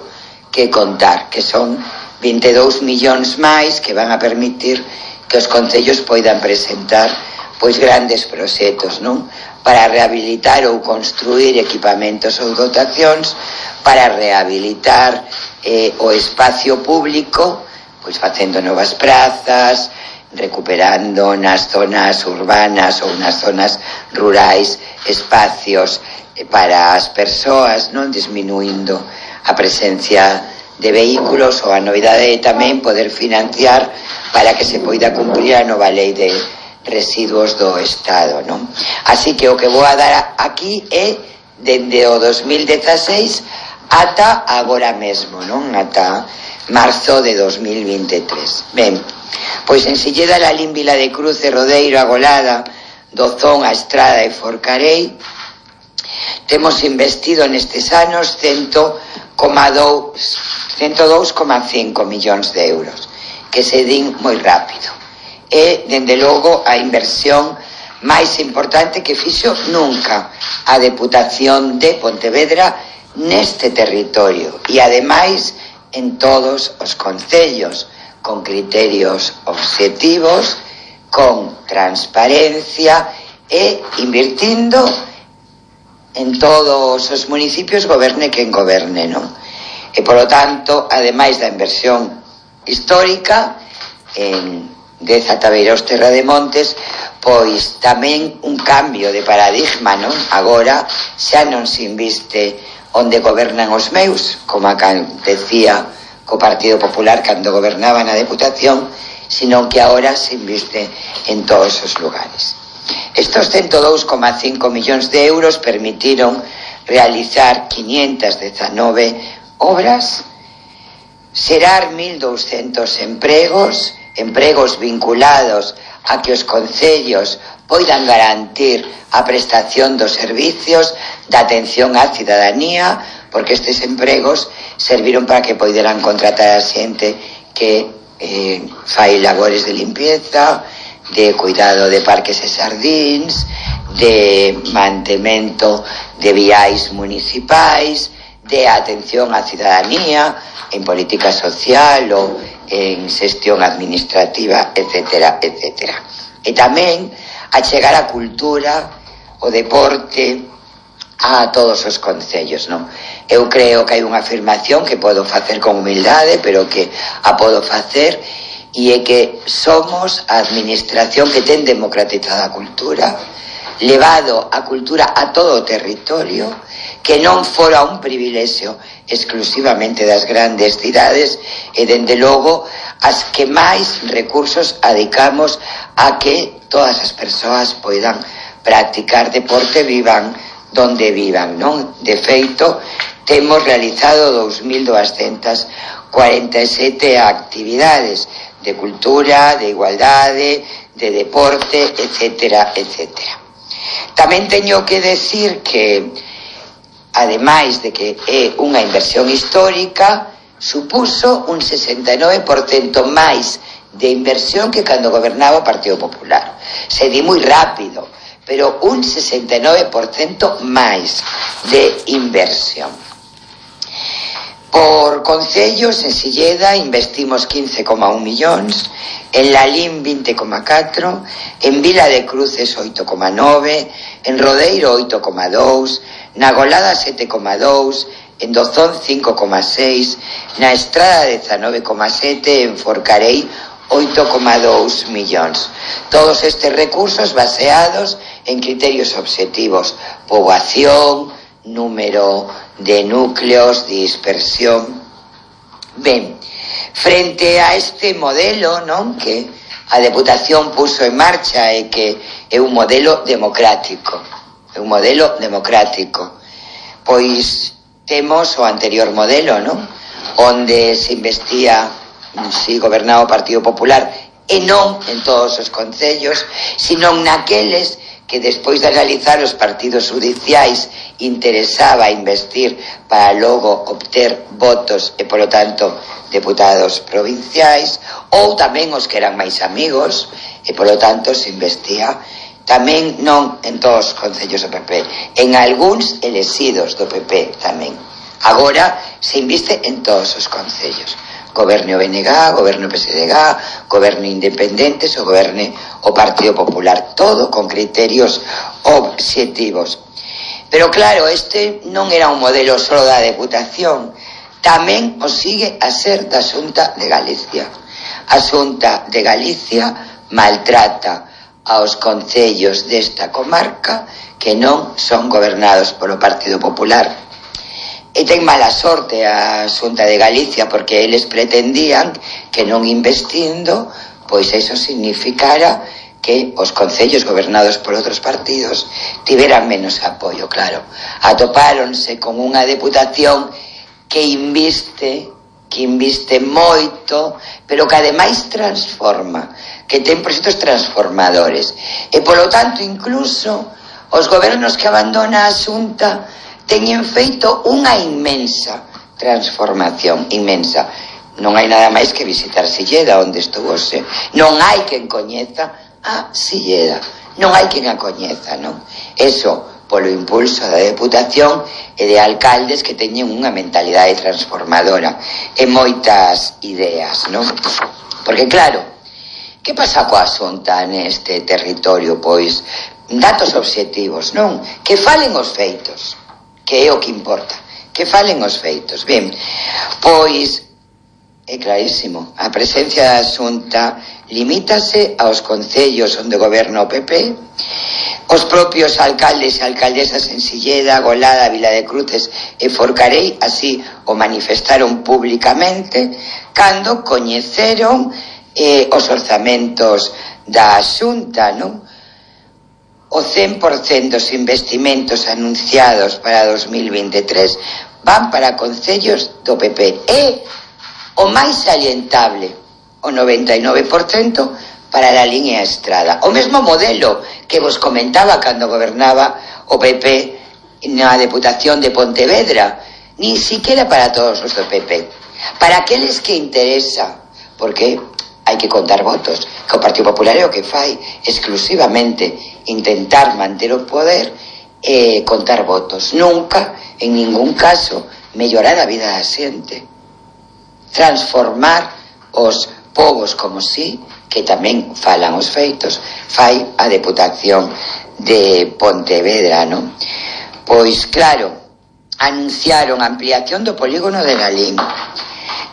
que contar, que son veintidós millóns máis que van a permitir que os concellos poidan presentar pois grandes proxectos, non? Para rehabilitar ou construir equipamentos ou dotacións, para rehabilitar eh, o espacio público, pois facendo novas prazas, recuperando nas zonas urbanas ou nas zonas rurais espacios para as persoas, non disminuindo a presencia de vehículos, ou a novidade é tamén poder financiar para que se poida cumprir a nova lei de residuos do Estado, non? Así que o que vou a dar aquí é dende o dos mil dieciséis ata agora mesmo, non? Ata marzo de dos mil veintitrés. Ben, pois en Silleda, Lalín, Vila de Cruz, Rodeiro, Agolada, Dozón, A Estrada e Forcarei temos investido nestes anos cento dous coma cinco millóns de euros, que se din moi rápido. É, dende logo, a inversión máis importante que fixo nunca a Deputación de Pontevedra neste territorio e, ademais, en todos os concellos, con criterios obxectivos, con transparencia e invirtindo en todos os municipios, goberne quen goberne, non? E, polo tanto, ademais da inversión histórica en Dez Atabeiraos, Terra de Montes, pois tamén un cambio de paradigma, non? Agora xa non se inviste onde gobernan os meus, como acontecía co Partido Popular cando gobernaba na Deputación, sino que agora se inviste en todos os lugares. Estos cento dous coma cinco millóns de euros permitiron realizar quinientas dezanove obras, xerar mil douscentos empregos, empregos vinculados a que os concellos poidan garantir a prestación dos servicios da atención á cidadanía, porque estes empregos serviron para que poideran contratar a xente que eh, fai labores de limpieza, de cuidado de parques e xardíns, de mantemento de viais municipais, de atención á cidadanía en política social ou en xestión administrativa, etcétera, etcétera. E tamén a chegar a cultura, o deporte a todos os concellos, non? Eu creo que hai unha afirmación que podo facer con humildade, pero que a podo facer, e é que somos a administración que ten democratizada a cultura, levado a cultura a todo o territorio, que non fora un privilexio exclusivamente das grandes cidades e, dende logo, as que máis recursos adicamos a que todas as persoas poidan practicar deporte, vivan donde vivan, non? De feito, temos realizado dous mil duascentas cuarenta e sete actividades de cultura, de igualdade, de deporte, etcétera, etcétera. Tamén teño que decir que, ademais de que é unha inversión histórica, supuso un sesenta e nove por cento máis de inversión que cando gobernaba o Partido Popular. Se di moi rápido, pero un sesenta e nove por cento máis de inversión. Por concellos, en Silleda investimos quince coma un millóns, en Lalín vinte coma catro, en Vila de Cruces oito coma nove, en Rodeiro oito coma dous, na Agolada sete coma dous, en Dozón cinco coma seis, na Estrada dezanove coma sete, en Forcarei oito coma dous millóns. Todos estes recursos baseados en criterios obxectivos: poboación, número de núcleos, dispersión. Ben, frente a este modelo, non, que a Deputación puso en marcha e que é un modelo democrático, é un modelo democrático, pois temos o anterior modelo, non, onde se investía, si gobernaba o Partido Popular, e non en todos os concellos, sino naqueles que despois de realizar os partidos judiciais interesaba investir para logo obter votos e, polo tanto, deputados provinciais, ou tamén os que eran máis amigos e, polo tanto, se investía tamén non en todos os concellos do P P, en algúns elexidos do P P tamén. Agora se inviste en todos os concellos. Goberne o B N G, goberne o P S D G, goberne independentes ou goberne o Partido Popular, todo con criterios obxectivos. Pero claro, este non era un modelo só da Deputación, tamén o sigue a ser da Xunta de Galicia. A Xunta de Galicia maltrata aos concellos desta comarca que non son gobernados polo Partido Popular. E ten mala sorte a Xunta de Galicia porque eles pretendían que non investindo, pois eso significara que os concellos gobernados por outros partidos tiveran menos apoio, claro. Atopáronse con unha deputación que inviste, que inviste moito, pero que ademais transforma, que ten proxectos transformadores. E polo tanto, incluso, os gobernos que abandona a Xunta teñen feito unha inmensa transformación, inmensa. Non hai nada máis que visitar Silleda, onde estuvouse. Non hai quen coñeza a Silleda. Non hai quen a coñeza, non? Eso polo impulso da Deputación e de alcaldes que teñen unha mentalidade transformadora e moitas ideas, non? Porque claro, que pasa coa Xunta neste territorio? Pois datos obxectivos, non? Que falen os feitos, que é o que importa, que falen os feitos. Ben, pois é clarísimo, a presencia da Xunta limítase aos concellos onde goberna o P P. Os propios alcaldes e alcaldesas en Silleda, Golada, Vila de Cruces e Forcarei así o manifestaron públicamente cando coñeceron eh, os orzamentos da Xunta, non? O cen por cento dos investimentos anunciados para dos mil veintitrés van para concellos do P P. E o máis salientable, o noventa e nove por cento para a línea Estrada. O mesmo modelo que vos comentaba cando gobernaba o P P na Deputación de Pontevedra, nin siquiera para todos os do P P. Para aqueles que interesa, porque hai que contar votos, que o Partido Popular é o que fai exclusivamente intentar manter o poder e contar votos. Nunca, en ningún caso, mellorar a vida da xente. Transformar os povos como si, que tamén falan os feitos, fai a Deputación de Pontevedra, non? Pois claro, anunciaron a ampliación do polígono de Lalín,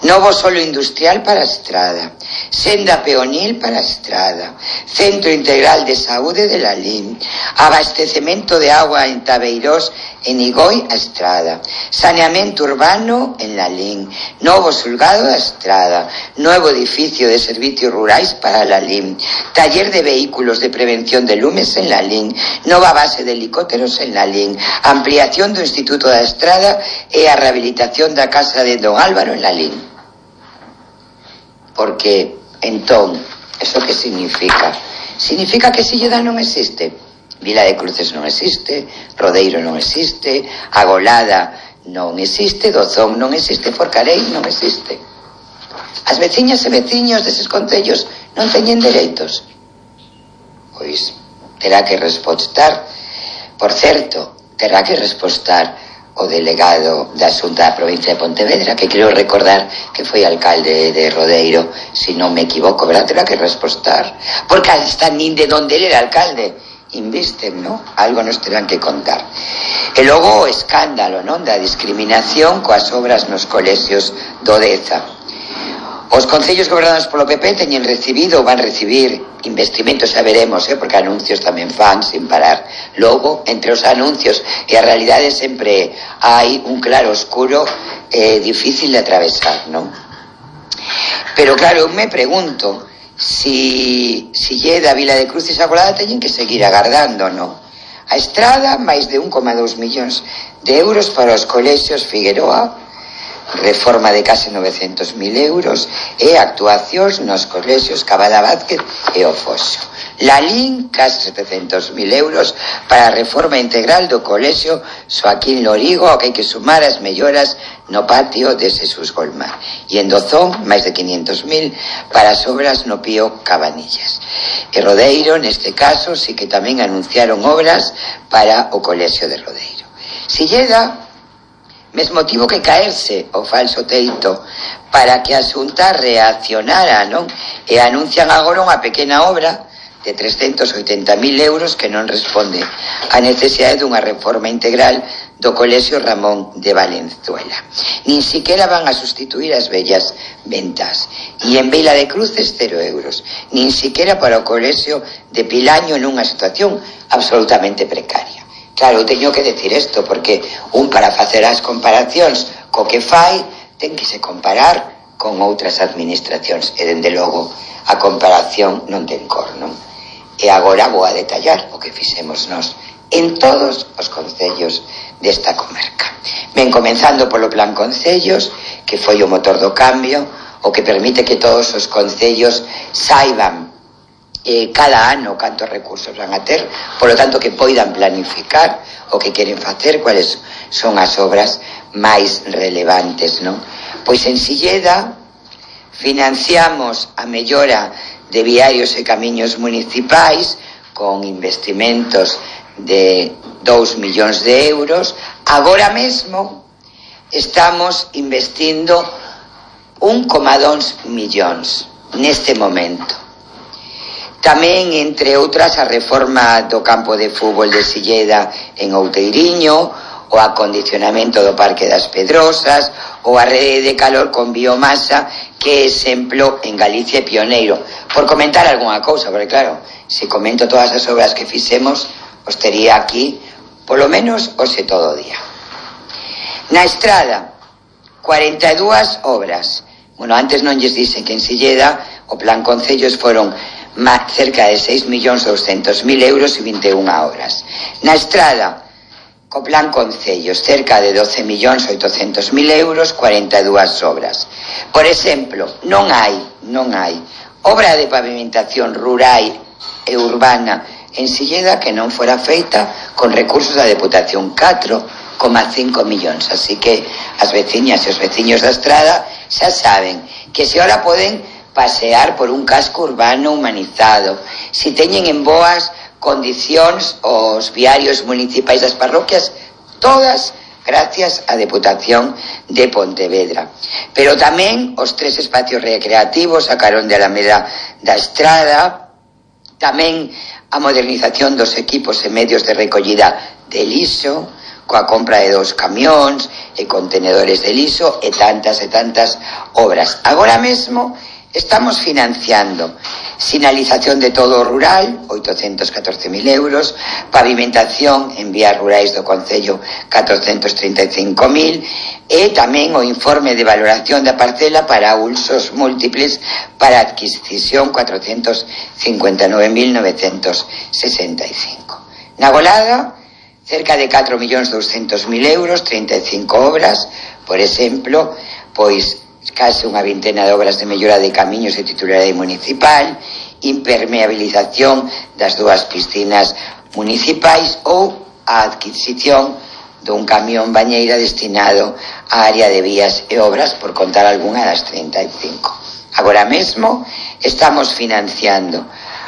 novo solo industrial para a Estrada, senda peonil para a Estrada, centro integral de saúde de Lalín, abastecemento de agua en Tabeirós, en Igoi a Estrada, saneamento urbano en Lalín, novo xulgado da Estrada, novo edificio de servicios rurais para Lalín, taller de vehículos de prevención de lumes en Lalín, nova base de helicópteros en Lalín, ampliación do Instituto da Estrada e a rehabilitación da casa de Don Álvaro en Lalín. Porque, entón, eso que significa? Significa que Silleda non existe. Vila de Cruces non existe, Rodeiro non existe, a Golada non existe, Dozón non existe, Forcarei non existe. As veciñas e veciños deses concellos non teñen dereitos. Pois terá que respostar, por certo, terá que respostar o delegado da Xunta da provincia de Pontevedra, que creo recordar que foi alcalde de Rodeiro, se non me equivoco, verdad? Terá que respostar, porque hasta nin de donde ele era alcalde invisten, ¿no? Algo nos terán que contar. E logo o escándalo, non? Da discriminación coas obras nos colexios do Deza. Os concellos gobernados polo P P teñen recibido ou van recibir investimentos, xa veremos, eh? Porque anuncios tamén fan sin parar. Logo, entre os anuncios e a realidade sempre hai un claro oscuro eh, difícil de atravesar, non? Pero claro, eu me pregunto si Silleda, Vila de Cruces e a Golada teñen que seguir agardando, non? A Estrada, máis de un coma dous millóns de euros para os colexios Figueroa, reforma de case novecentos mil euros e actuacións nos colexios Cabada Vázquez e o Foxo. Lalín, case setecentos mil euros para a reforma integral do colexio Xoaquín Lorigo, ao que hai que sumar as melloras no patio de Xesús Golmar. E en Dozón, máis de quinhentos mil para as obras no Pío Cabanillas. E Rodeiro, neste caso, sí que tamén anunciaron obras para o colexio de Rodeiro. Silleda, mesmo tivo que caerse o falso teito para que a Xunta reaccionara, non? E anuncian agora unha pequena obra de trescentos oitenta mil euros que non responde á necesidade dunha reforma integral do colexio Ramón de Valenzuela. Nin siquiera van a sustituir as vellas ventas. E en Vila de Cruces, cero euros. Nin siquiera para o colexio de Pilaño nunha situación absolutamente precaria. Claro, teño que decir isto, porque un para facer as comparacións co que fai, ten que se comparar con outras administracións, e dende logo a comparación non ten cor, non? E agora vou a detallar o que fixemos nós en todos os concellos desta comarca. Ben, comenzando polo Plan Concellos, que foi o motor do cambio, o que permite que todos os concellos saiban Eh, cada ano cantos recursos van a ter, polo tanto que poidan planificar o que queren facer, cuáles son as obras máis relevantes, non? Pois en Silleda financiamos a mellora de viarios e camiños municipais con investimentos de dous millóns de euros. Agora mesmo estamos investindo un coma dous millóns neste momento. Tamén, entre outras, a reforma do campo de fútbol de Silleda en Outeiriño, o acondicionamento do Parque das Pedrosas, ou a rede de calor con biomasa, que é exemplo en Galicia pioneiro. Por comentar algunha cousa, porque claro, se comento todas as obras que fixemos, os tería aquí, polo menos, hoxe todo o día. Na Estrada, cuarenta e dúas obras. Bueno, antes non lles dixen que en Silleda o Plan Concellos foron cerca de seis millóns doscientos mil euros e vinte e unha obras. Na Estrada, co Plan Concellos, cerca de doce millóns oitocentos mil euros, cuarenta e dúas obras. Por exemplo, non hai, non hai obra de pavimentación rural e urbana en Silleda que non fora feita con recursos da Deputación, catro coma cinco millóns. Así que as veciñas e os veciños da Estrada xa saben que se ora poden pasear por un casco urbano humanizado, si teñen en boas condicións os viarios municipais das parroquias, todas gracias á Deputación de Pontevedra. Pero tamén os tres espacios recreativos a carón de Alameda da Estrada, tamén a modernización dos equipos e medios de recollida de lixo, coa compra de dos camións e contenedores de lixo e tantas e tantas obras. Agora mesmo estamos financiando sinalización de todo o rural, oitocentos catorce mil euros, pavimentación en vías rurais do Concello, catrocentos trinta e cinco mil, e tamén o informe de valoración da parcela para usos múltiples para adquisición, cuatrocentos cincuenta e nove mil novecentos sesenta e cinco. Na Golada, cerca de catro millóns doscientos mil euros, trinta e cinco obras, por exemplo, pois case unha vintena de obras de mellora de camiños e titularidade municipal, impermeabilización das dúas piscinas municipais ou a adquisición dun camión bañeira destinado á área de vías e obras, por contar algunha das trinta e cinco. Agora mesmo estamos financiando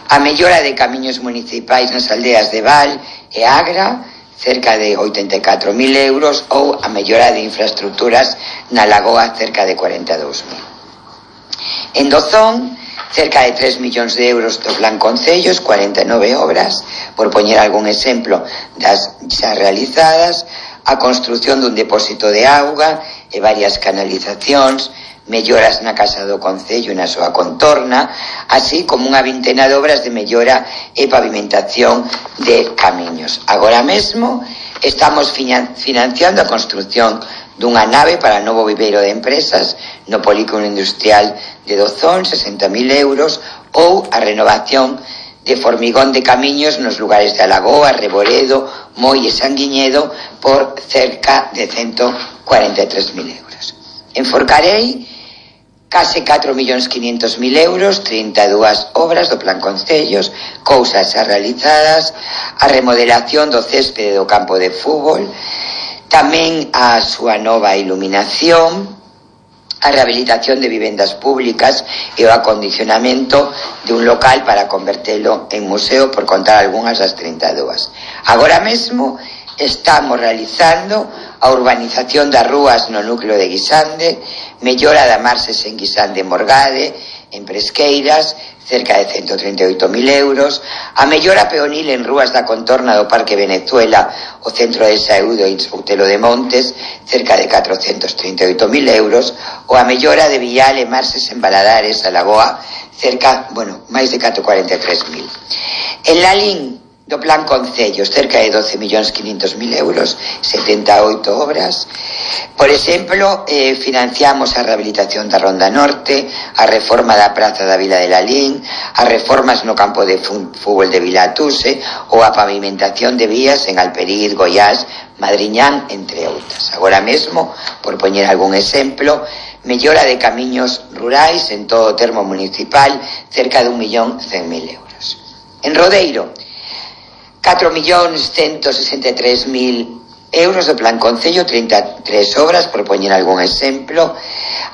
a mellora de camiños municipais nas aldeas de Val e Agra, cerca de oitenta e catro mil euros, ou a mellora de infraestructuras na Lagoa, cerca de cuarenta e dous mil. En Dozón, cerca de tres millóns de euros do Plan Concellos, cuarenta e nove obras, por poñer algún exemplo das xa realizadas, a construción dun depósito de auga e varias canalizacións, melloras na Casa do Concello e na súa contorna, así como unha vintena de obras de mellora e pavimentación de camiños. Agora mesmo estamos financiando a construción dunha nave para novo viveiro de empresas no polígono industrial de Dozón, sesenta mil euros, ou a renovación de formigón de camiños nos lugares de Alagoa, Reboredo, Moi e Sanguiñedo por cerca de ciento cuarenta e tres mil euros. En Forcarei, case catro millóns quinhentos mil euros, trinta e dúas obras do Plan Concellos, cousas xa realizadas, a remodelación do céspede do campo de fútbol, tamén a súa nova iluminación, a rehabilitación de vivendas públicas e o acondicionamento de un local para convertelo en museo, por contar algunhas das trinta e dúas. Agora mesmo estamos realizando a urbanización das rúas no núcleo de Guisande, mellora da marxes en Guisande e Morgade, en Presqueiras, cerca de ciento treinta e oito mil euros, a mellora peonil en rúas da contorna do Parque Venezuela, o Centro de Saúde e Outelo de Montes, cerca de catrocentos trinta e oito mil euros, ou a mellora de Vial e marxes en Valadares, a Lagoa, cerca, bueno, máis de catro cuarenta e tres mil. En Lalín, do Plan Concellos, cerca de doce millóns quinhentos mil euros, setenta e oito obras. Por exemplo, eh, financiamos a rehabilitación da Ronda Norte, a reforma da Praza da Vila de Lalín, as reformas no campo de fútbol de Vilatuse ou a pavimentación de vías en Alperiz, Goiás, Madriñán, entre outras. Agora mesmo, por poñer algún exemplo, mellora de camiños rurais en todo o termo municipal, cerca de un millón cen mil euros. En Rodeiro, catro millóns ciento sesenta e tres mil euros do Plan Concello, trinta e tres obras, por poñer algún exemplo,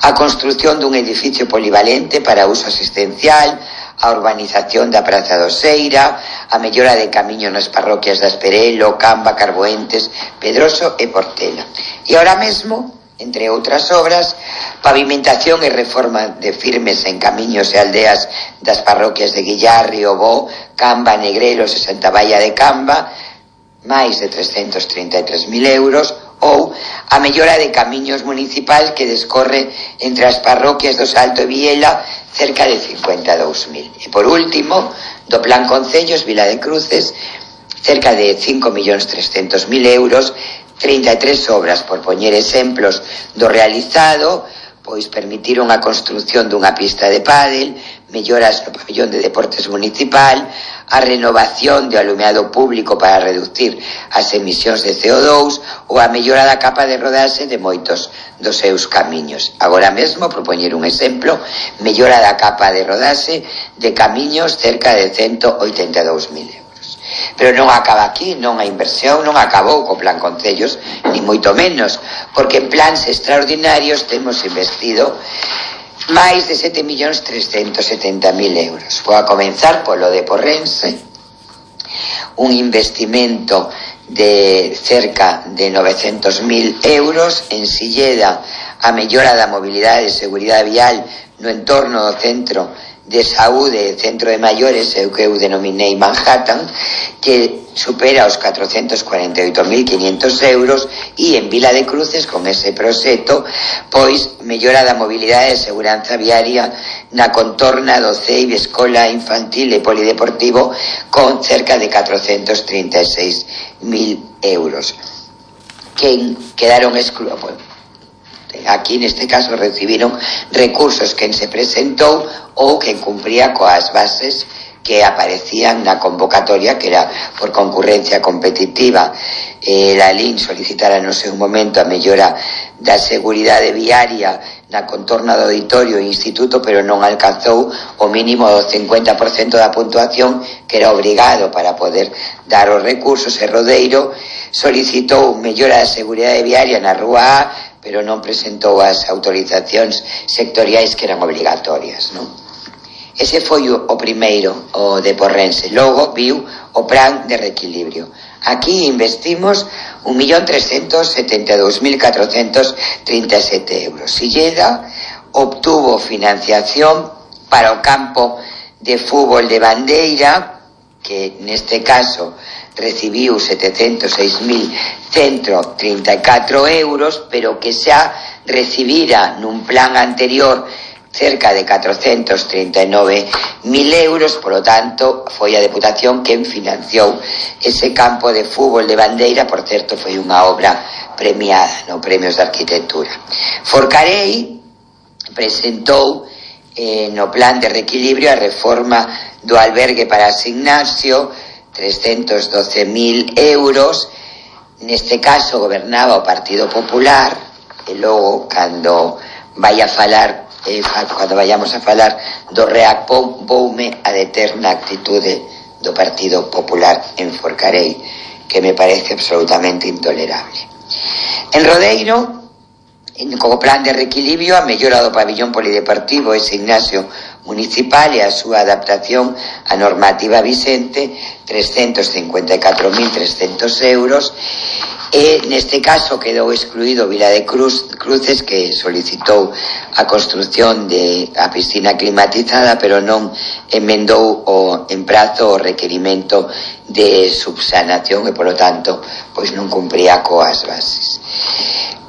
a construción dun edificio polivalente para uso asistencial, a urbanización da Praza do Seira, a mellora de camiño nas parroquias de Asperelo, Camba, Carboentes, Pedroso e Portela. E ahora mesmo, entre outras obras, pavimentación e reforma de firmes en camiños e aldeas das parroquias de Guillarri, Obó, Camba, Negreros e Santa Baia de Camba, máis de trescentos trinta e tres mil euros, ou a mellora de camiños municipais que descorre entre as parroquias do Salto e Viela, cerca de cincuenta e dous mil. E por último, do Plan Concellos, Vila de Cruces, cerca de cinco millóns trescentos mil euros, trinta e tres obras, por poñer exemplos do realizado, pois permitiron a construción dunha pista de pádel, melloras no pabellón de deportes municipal, a renovación de alumeado público para reducir as emisións de C O dous ou a mellora da capa de rodaxe de moitos dos seus camiños. Agora mesmo, por poñer un exemplo, mellora da capa de rodaxe de camiños cerca de ciento oitenta e dous mil euros. Pero non acaba aquí, non a inversión non acabou co Plan Concellos, ni moito menos, porque en plans extraordinarios temos investido máis de sete millóns trescentos setenta mil euros. Vou a comenzar polo de Porrense, un investimento de cerca de novecentos mil euros, en Silleda a mellora da mobilidade e seguridade vial no entorno do centro de saúde, centro de maiores, o que eu denominei Manhattan, que supera os catrocentos cuarenta e oito mil quinhentos euros, e en Vila de Cruces, con ese proxecto, pois mellora da mobilidade e seguranza viaria na contorna do C E I B, Escola Infantil e Polideportivo, con cerca de catrocentos trinta e seis mil euros. Que quedaron excluídos. Aquí, neste caso, recibiron recursos quen se presentou ou quen cumpría coas bases que aparecían na convocatoria, que era por concurrencia competitiva. Eh, la L I N solicitara no seu momento a mellora da seguridade viaria na contorna do auditorio e instituto, pero non alcanzou o mínimo do cincuenta por cento da puntuación que era obrigado para poder dar os recursos. E Rodeiro solicitou mellora da seguridade viaria na Rúa A, pero non presentou as autorizacións sectoriais que eran obrigatorias, non? Ese foi o, o primeiro, o de Porrense. Logo viu o plan de reequilibrio. Aquí investimos un millón trescentos setenta e dous mil catrocentos trinta e sete euros. Silleda obtuvo financiación para o campo de fútbol de Bandeira, que neste caso recibiu setecentos seis mil ciento trinta e catro euros, pero que xa recibira nun plan anterior cerca de catrocentos trinta e nove mil euros. Por lo tanto, foi a Deputación quen financiou ese campo de fútbol de Bandeira. Por certo, foi unha obra premiada no Premios de Arquitectura. Forcarei presentou eh, no plan de reequilibrio a reforma do albergue para Ignacio, trescentos doce mil euros. Neste caso gobernaba o Partido Popular, e logo, cando vai a falar, eh, cando vayamos a falar do Reacpón, voume a deter na actitude do Partido Popular en Forcarei, que me parece absolutamente intolerable. En Rodeiro, como plan de reequilibrio, a mellora do pabillón polideportivo ese Ignacio municipal e a súa adaptación á normativa vicente, trescentos cincuenta e catro mil trescentos euros, e neste caso quedou excluído Vila de Cruz, Cruces, que solicitou a construción de a piscina climatizada, pero non emendou o en prazo o requerimento de subsanación e, polo tanto, pois non cumpría coas bases.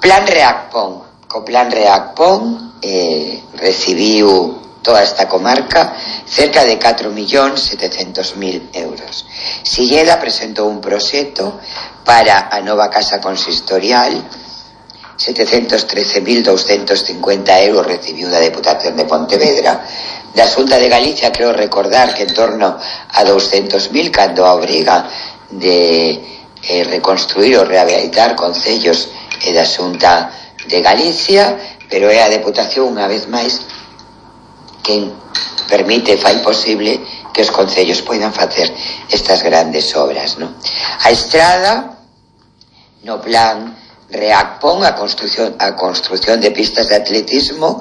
Plan Reacpón. Co Plan Reacpón eh, recibiu toda esta comarca cerca de catro millóns setecentos mil euros. Silleda presentou un proxecto para a nova casa consistorial, setecentos trece mil douscentos cincuenta euros recibiu da Deputación de Pontevedra. Da Xunta de Galicia creo recordar que en torno a douscentos mil, cando a obriga de eh, reconstruir ou rehabilitar concellos e da Xunta de Galicia, pero é a Deputación unha vez máis quen permite, fai posible que os concellos poidan facer estas grandes obras, non? A estrada, no plan Reacpón, a construción, a construción de pistas de atletismo,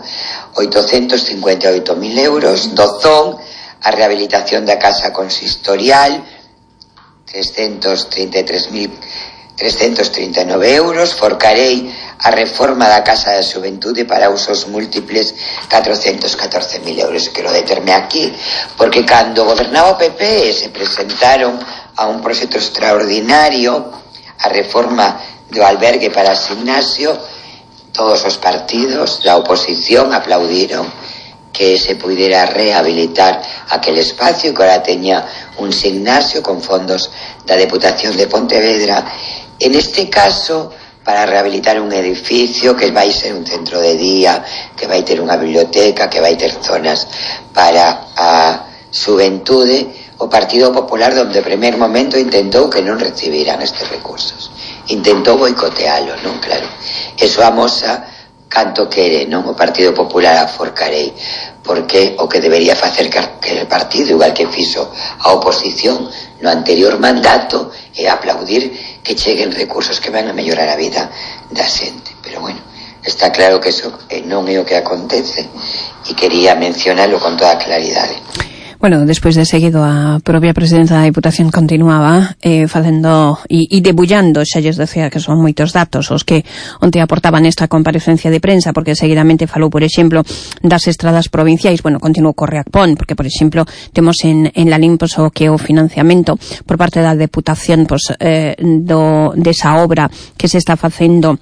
oitocentos cincuenta e oito mil euros. Dozón, a rehabilitación da casa consistorial, trescentos trinta e tres mil trescentos trinta e nove euros. Forcarei, a reforma da Casa da Xuventude para usos múltiples, catrocentos catorce mil euros. Quero determe aquí, porque cando gobernaba o P P se presentaron a un proxecto extraordinario, a reforma do albergue para Gimnasio, todos os partidos da oposición aplaudiron que se pudiera rehabilitar aquel espacio, que ahora teña un gimnasio con fondos da Deputación de Pontevedra. En este caso, para rehabilitar un edificio que vai ser un centro de día, que vai ter unha biblioteca, que vai ter zonas para a xuventude, o Partido Popular, donde primer momento intentou que non recibiran estes recursos. Intentou boicotealo, non? Claro. Eso amosa canto quere, non? O Partido Popular a Forcarei, porque o que debería facer que el partido, igual que fixo a oposición no anterior mandato, é aplaudir que cheguen recursos que van a mellorar a vida da xente. Pero bueno, está claro que eso non é o que acontece e quería mencionarlo con toda claridade. Bueno, despois de seguido a propia presidenta da Diputación continuaba eh, facendo e, e debullando, xa lles decía que son moitos datos os que onte aportaban esta comparecencia de prensa, porque seguidamente falou, por exemplo, das estradas provinciais. Bueno, continuou co Reacpón, porque, por exemplo, temos en, en la Lim pues, o que o financiamento por parte da Deputación pues, eh, do, desa obra que se está facendo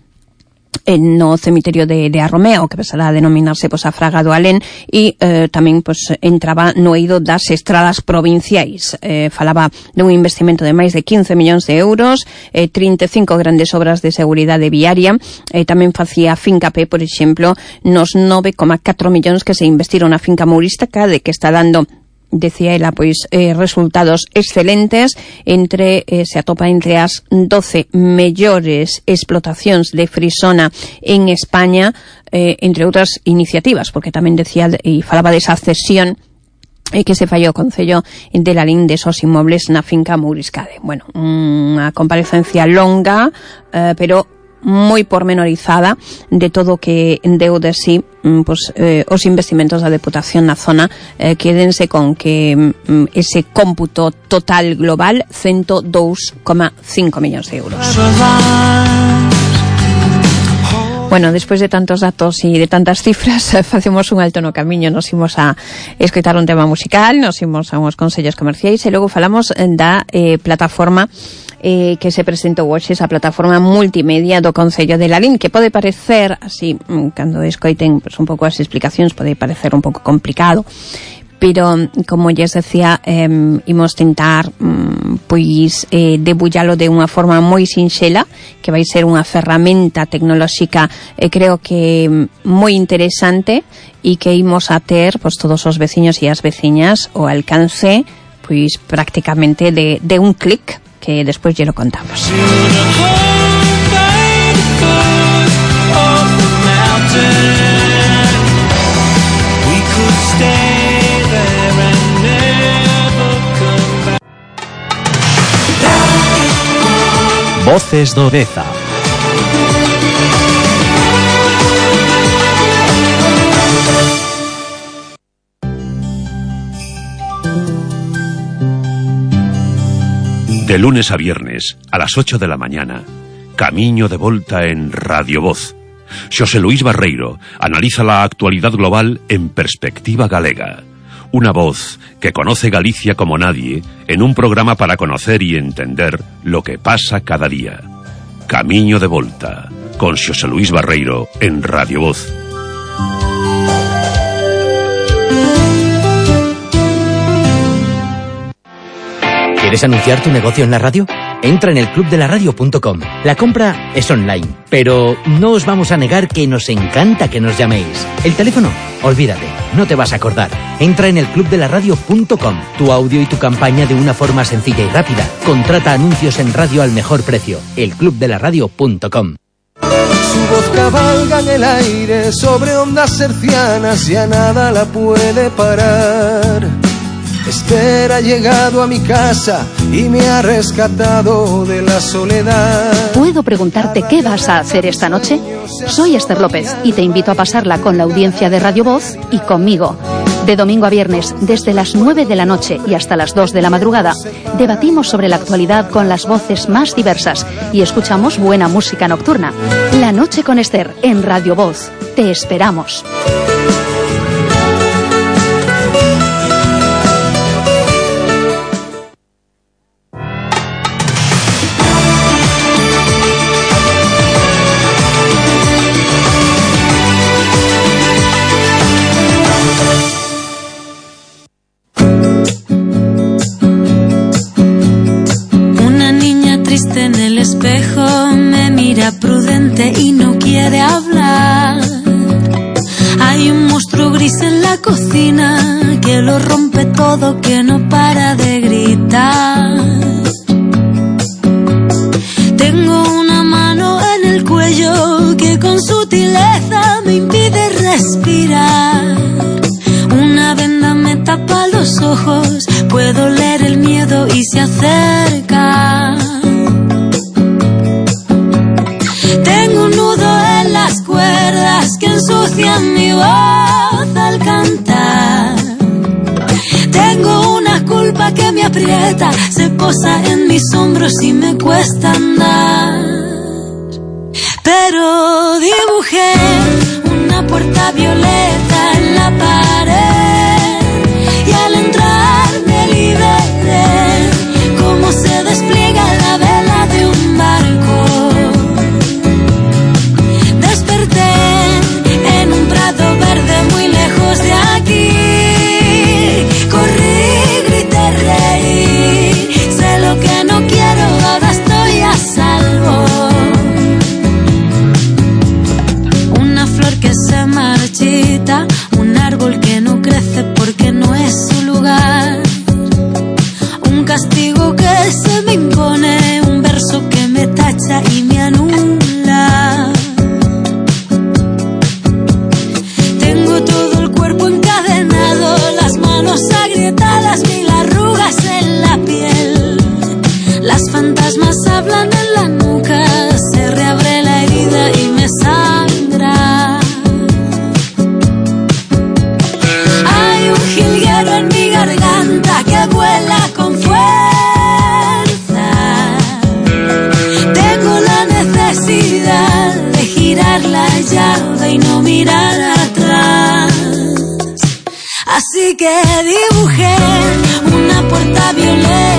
no cemiterio de, de Arromeo, que pasará a denominarse pues, a Fraga do Alén, e eh, tamén pues, entraba no eido das estradas provinciais. Eh, falaba dun investimento de máis de quince millóns de euros, eh, trinta e cinco grandes obras de seguridade viaria, eh, tamén facía fincapé, por exemplo, nos nove coma catro millóns que se investiron na finca mourística, de que está dando, decía ela, pois eh, resultados excelentes, entre eh, se atopa entre as doce mellores explotacións de frisona en España, eh, entre outras iniciativas, porque tamén decía e falaba desa cesión e que se fallou o Concello de Lalín de esos inmobles na finca Mouriscade. Bueno, unha comparecencia longa, eh, pero moi pormenorizada de todo o que deu de sí pues, eh, os investimentos da Deputación na zona. Eh, quédense con que mm, ese cómputo total global ciento dous coma cinco millóns de euros. Bueno, despois de tantos datos e de tantas cifras, facemos un alto no camiño, nos imos a escoitar un tema musical, nos imos a uns consellos comerciais e logo falamos da eh, plataforma eh, que se presentou hoxe, esa plataforma multimedia do Concello de Lalín, que pode parecer, así, cando escoiten pues, un pouco as explicacións, pode parecer un pouco complicado, pero, como lles decía, eh, imos tentar mm, pois eh, debullalo de unha forma moi sinxela, que vai ser unha ferramenta tecnolóxica eh, creo que moi interesante e que imos a ter pois, todos os veciños e as veciñas ao alcance pois prácticamente de, de un clic, que despois lle lo contamos. Voces do Deza. De lunes a viernes, a las ocho de la mañana, Camiño de Volta en Radio Voz. Xosé Luís Barreiro analiza la actualidad global en perspectiva galega. Una voz que conoce Galicia como nadie en un programa para conocer y entender lo que pasa cada día. Camiño de Volta, con Xosé Luís Barreiro en Radio Voz. ¿Quieres anunciar tu negocio en la radio? Entra en el club de la radio punto com. La compra es online, pero no os vamos a negar que nos encanta que nos llaméis. El teléfono, olvídate, no te vas a acordar. Entra en el club de la radio punto com. Tu audio y tu campaña de una forma sencilla y rápida. Contrata anuncios en radio al mejor precio. el club de la radio punto com. Su voz cabalga en el aire sobre ondas hercianas, ya nada la puede parar. Esther ha llegado a mi casa y me ha rescatado de la soledad. ¿Puedo preguntarte qué vas a hacer esta noche? Soy Esther López y te invito a pasarla con la audiencia de Radio Voz y conmigo. De domingo a viernes, desde las nueve de la noche y hasta las dos de la madrugada, debatimos sobre la actualidad con las voces más diversas y escuchamos buena música nocturna. La noche con Esther en Radio Voz. Te esperamos. Prudente y no quiere hablar. Hay un monstruo gris en la cocina que lo rompe todo, que no para de gritar. Tengo una mano en el cuello que con sutileza me impide respirar. Una venda me tapa los ojos, puedo leer el miedo y se acerca. Tengo un nudo en las cuerdas que ensucian mi voz al cantar. Tengo una culpa que me aprieta, se posa en mis hombros y me cuesta andar. Pero dibujé una puerta violeta en la pared y al entrar me liberé, como se despliega la vela de un barco. En un prado verde muy lejos de aquí, corrí, grité, reí, sé lo que no quiero, ahora estoy a salvo. Una flor que se marchita, un árbol que no crece porque no es su lugar, un castigo que se me impone, un verso que me tacha y me anula. Agrietadas, mil arrugas en la piel. Las fantasmas hablan en la nuca, se reabre la herida y me sangra. Hay un jilguero en mi garganta que vuela con fuerza. Tengo la necesidad de girar la llave y no mirar atrás. Así que dibujé una puerta violeta